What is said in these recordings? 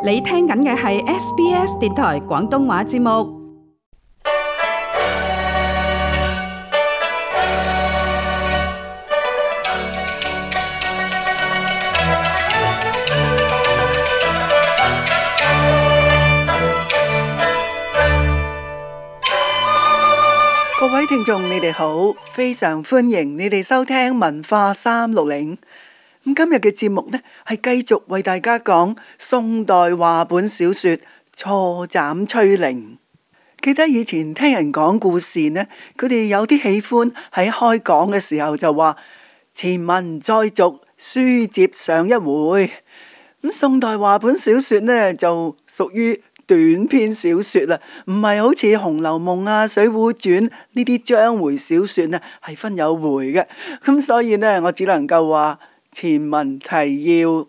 你聽緊嘅係 SBS 電台廣東話節目。各位聽眾，你哋好，非常歡迎你哋收聽文化360。今日嘅節目呢，係繼續為大家講宋代話本小說《錯斬崔寧》。記得以前聽人講故事呢，佢哋有啲喜歡喺開講嘅時候就話前文再續，書接上一回。宋代話本小說呢，就屬於短篇小說啦，唔係好似《紅樓夢》啊、《水滸傳》呢啲章回小說呢，係分有回嘅。咁所以呢，我只能夠話前文提要。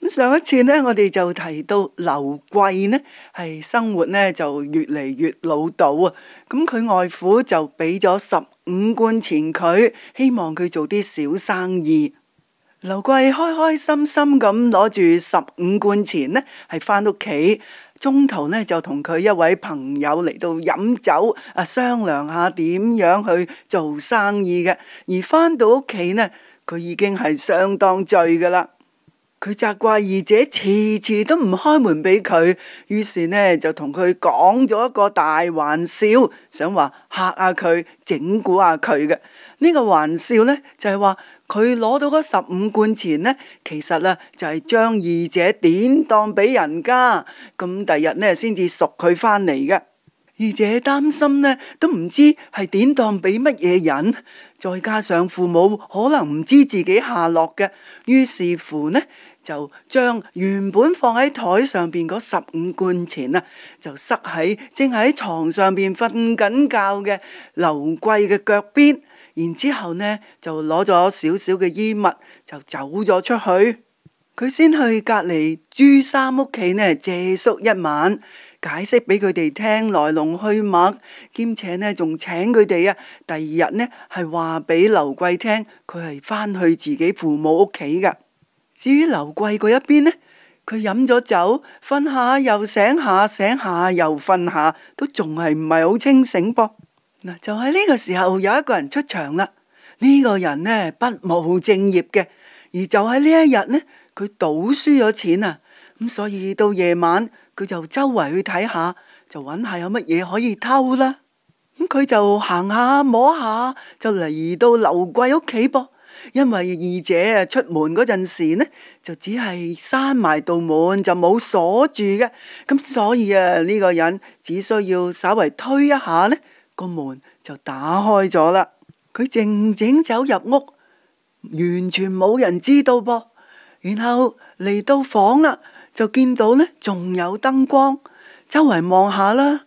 上一次呢，我哋就提到劉貴呢係生活呢就越嚟越潦倒啊。咁佢外父就俾咗15貫錢佢，希望佢做啲小生意。劉貴開開心心咁攞住15貫錢呢，係翻屋企。中途呢就同佢一位朋友嚟到飲酒商量下點樣去做生意嘅。而翻到屋企呢，佢已經係相當醉噶啦。佢責怪二姐遲遲都唔開門俾佢，於是呢就同佢講咗一個大玩笑，想話嚇下佢，整蠱下佢嘅。呢個玩笑呢就係話佢攞到嗰15貫錢呢，其實呢就係將二姐典當俾人家，咁第日呢先至贖佢翻嚟嘅。二姐擔心呢都唔知係典當俾乜嘢人，再加上父母可能唔知自己下落嘅，於是乎呢就將原本放喺台上邊嗰15貫錢啊，就塞喺正喺床上邊瞓緊覺嘅劉貴嘅腳邊，然之後呢就攞咗少少嘅衣物就走咗出去。佢先去隔籬朱三屋企呢借宿一晚，解釋俾佢哋聽來龍去脈，兼且呢仲請佢哋第二日呢係話俾劉貴聽，佢係翻去自己父母屋企噶。至於劉貴嗰一邊呢，佢飲咗酒，瞓下又醒下，醒下又瞓下，都仲係唔係好清醒噃。嗱，就喺呢個時候有一個人出場啦。呢個人呢不務正業嘅，而就喺呢一日呢，佢賭輸咗錢啊，咁所以到夜晚佢就周圍去睇下，就揾下有乜嘢可以偷啦。咁佢就行下摸下，就嚟到劉貴屋企噃。因為二姐出門嗰陣時呢，就只係閂埋道門，就冇鎖住嘅，咁所以呢個人只需要稍微推一下呢，個門就打開咗啦。佢靜靜走入屋，完全冇人知道噃。然後嚟到房啦，就見到呢仲有燈光，周圍望下啦，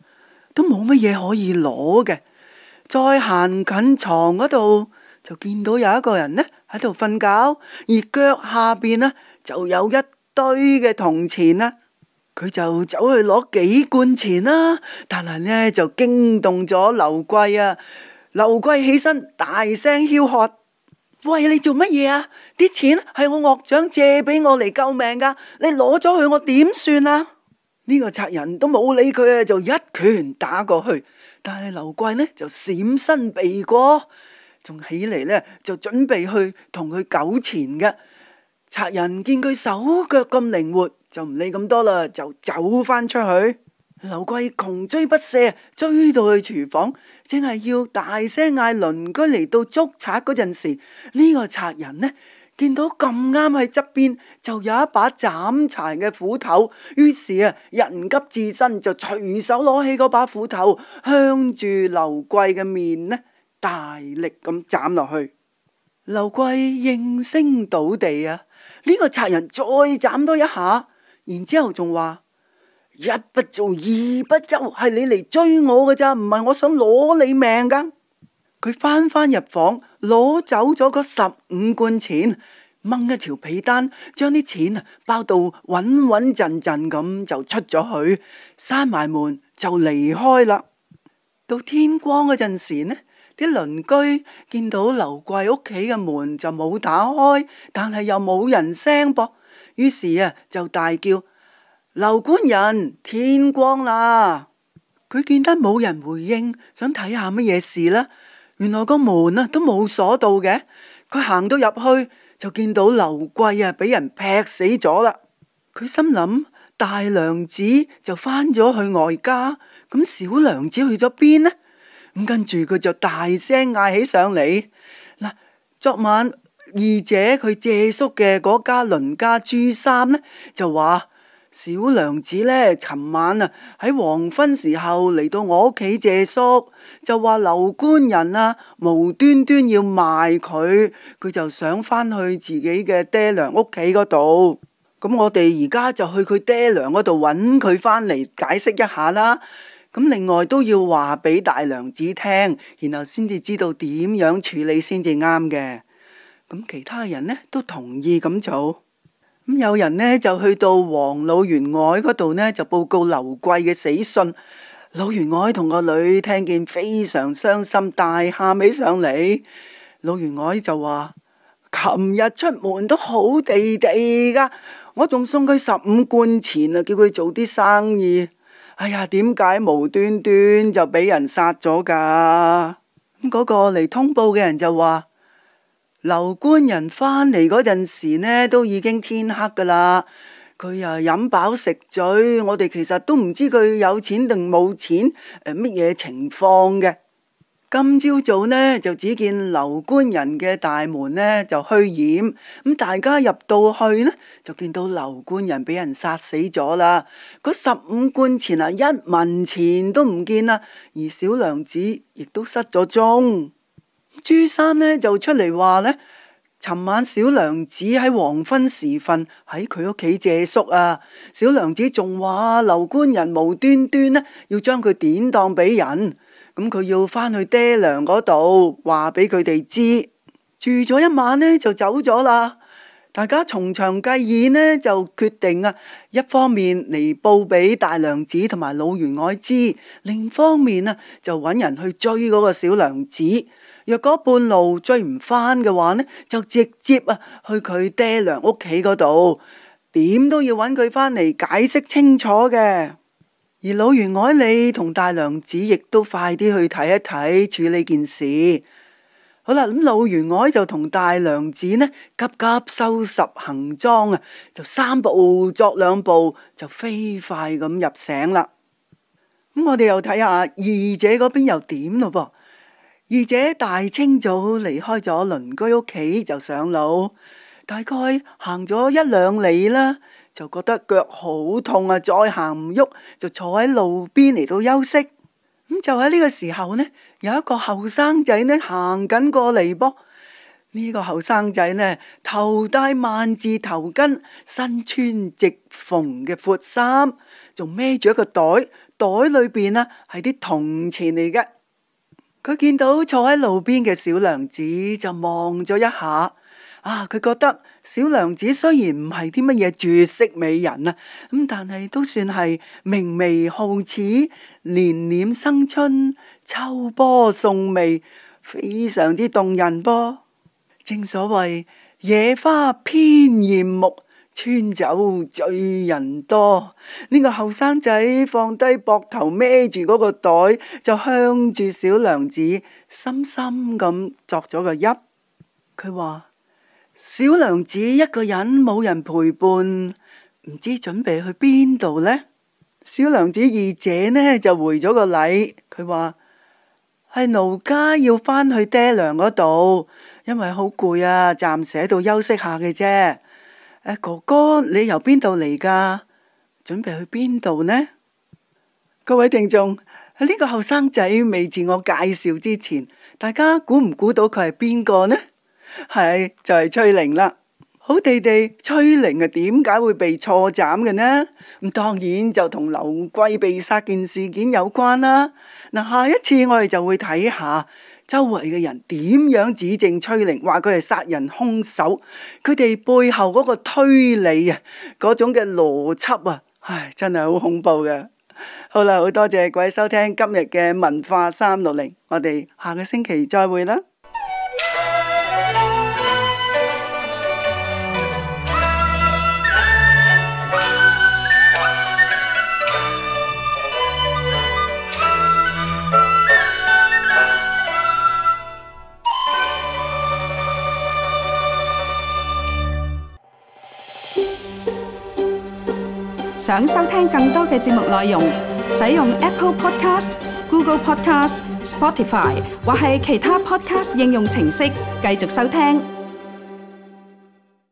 都冇乜嘢可以攞嘅。再行近床嗰度，就見到有一個人呢喺度瞓覺，而腳下邊呢就有一堆嘅銅錢啦。佢就走去攞幾貫錢啦，但係呢就驚動咗劉貴啊！劉貴起身大聲囂喝：喂，你做乜嘢啊？啲錢係我岳丈借俾我嚟救命噶，你攞咗佢我點算啊？呢個賊人都冇理佢啊，就一拳打過去。但係劉貴呢就閃身避過，仲起嚟呢就準備去同佢糾纏嘅。賊人見佢手腳咁靈活，就唔理咁多啦，就走翻出去。劉貴窮追不捨，追到去廚房，正係要大聲嗌鄰居嚟到捉賊嗰陣時，呢個賊人呢見到咁啱喺側邊就有一把斬柴嘅斧頭，於是人急智身，就隨手攞起嗰把斧頭，向住劉貴嘅面呢大力咁斬落去。劉貴應聲倒地啊！呢個賊人再斬多一下，然之後仲話：一不做二不休，係你嚟追我嘅咋，唔係我想攞你命噶。佢翻入房，攞走咗嗰15貫錢，掹一條被單，將啲錢包到穩穩陣陣咁就出咗去，閂埋門就離開啦。到天光嗰陣時呢，啲鄰居見到劉貴屋企嘅門就冇打開，但係又冇人聲噃，於是就大叫：劉官人，天光啦！佢見得冇人回應，想睇下乜嘢事啦。原來個門啊都冇鎖到嘅，佢行到入去就見到劉貴啊俾人劈死咗啦。佢心諗大娘子就返咗去外家，咁小娘子去咗邊呢？咁跟住佢就大聲嗌起上嚟。嗱，昨晚二姐佢借宿嘅嗰家鄰家朱三呢，就話小娘子呢，尋晚啊喺黃昏時候嚟到我屋企借宿，就話劉官人啊無端端要賣佢，佢就想返去自己嘅爹娘屋企嗰度。咁我哋而家就去佢爹娘嗰度揾佢返嚟解釋一下啦。咁另外都要話俾大娘子聽，然後先至知道點樣處理先至啱嘅。咁其他人呢都同意咁做。咁有人呢就去到王老員外嗰度呢，就報告劉貴嘅死訊。老員外同個女聽見非常傷心，大喊起上嚟。老員外就話：琴日出門都好地地噶，我仲送佢15貫錢啊，叫佢做啲生意。哎呀，點解無端端就俾人殺咗噶？咁嗰個嚟通報嘅人就話：劉官人返嚟嗰陣時呢，都已經天黑噶啦。佢啊飲飽食醉，我哋其實都唔知佢有錢定冇錢，乜嘢情況嘅。今朝早呢，就只見劉官人嘅大門呢就虛掩，咁大家入到去呢，就見到劉官人俾人殺死咗啦。嗰15貫錢啊，一文錢都唔見啦，而小娘子亦都失咗蹤。朱三呢就出嚟話呢，尋晚小娘子喺黃昏時分喺佢屋企借宿啊，小娘子仲話劉官人無端端呢要將佢典當俾人。咁佢要返去爹娘嗰度話俾佢哋知，住咗一晚呢就走咗啦。大家從長計議呢就決定啊，一方面嚟報俾大娘子同埋老員外知，另一方面啊就揾人去追嗰個小娘子。若果半路追唔返嘅話呢，就直接啊去佢爹娘屋企嗰度，點都要揾佢返嚟解釋清楚嘅。而老員外你同大娘子亦都快啲去睇一睇，處理件事。好啦，咁老員外就同大娘子呢急急收拾行裝啊，就3步作2步，就飛快咁入城啦。咁我哋又睇下二姐嗰邊又點咯噃。二姐大清早離開咗鄰居屋企就上路，大概行咗1、2里啦，就覺得腳好痛啊，再行唔喐，就坐喺路邊嚟到休息。咁就喺呢個時候呢，有一個後生仔呢行緊過嚟噃。呢個後生仔呢，頭戴萬字頭巾，身穿直縫嘅闊衫，仲孭住一個袋，袋裏邊啊係啲銅錢嚟嘅。佢見到坐喺路邊嘅小娘子，就望咗一下。佢覺得小娘子雖然唔係啲乜嘢絕色美人啊，咁但係都算係明媚皓齒、年臉生春、秋波送媚，非常之動人噃。正所謂野花偏艷目，川酒醉人多。呢個後生仔放低膊頭孭住嗰個袋，就向住小娘子深深咁作咗個揖。佢話：小娘子一個人冇人陪伴，唔知準備去邊度呢？小娘子二姐呢就回咗個禮，佢話：係奴家要返去爹娘嗰度，因為好攰啊，暫時喺度休息下嘅啫。哥哥，你由邊度嚟噶？準備去邊度呢？各位聽眾，呢個後生仔未自我介紹之前，大家估唔估到佢係邊個呢？係就係崔玲啦。好地地，崔玲啊，點解會被錯斬嘅呢？咁當然就同劉貴被殺件事件有關啦。嗱，下一次我哋就會睇下周圍嘅人點樣指證崔玲，話佢係殺人兇手，佢哋背後嗰個推理啊，嗰種嘅邏輯啊，真係好恐怖嘅。好啦，好多謝各位收聽今日嘅文化360，我哋下個星期再會啦。想收聽更多嘅節目內容，使用 Apple Podcast、Google Podcast、Spotify 或係其他 Podcast 應用程式繼續收聽。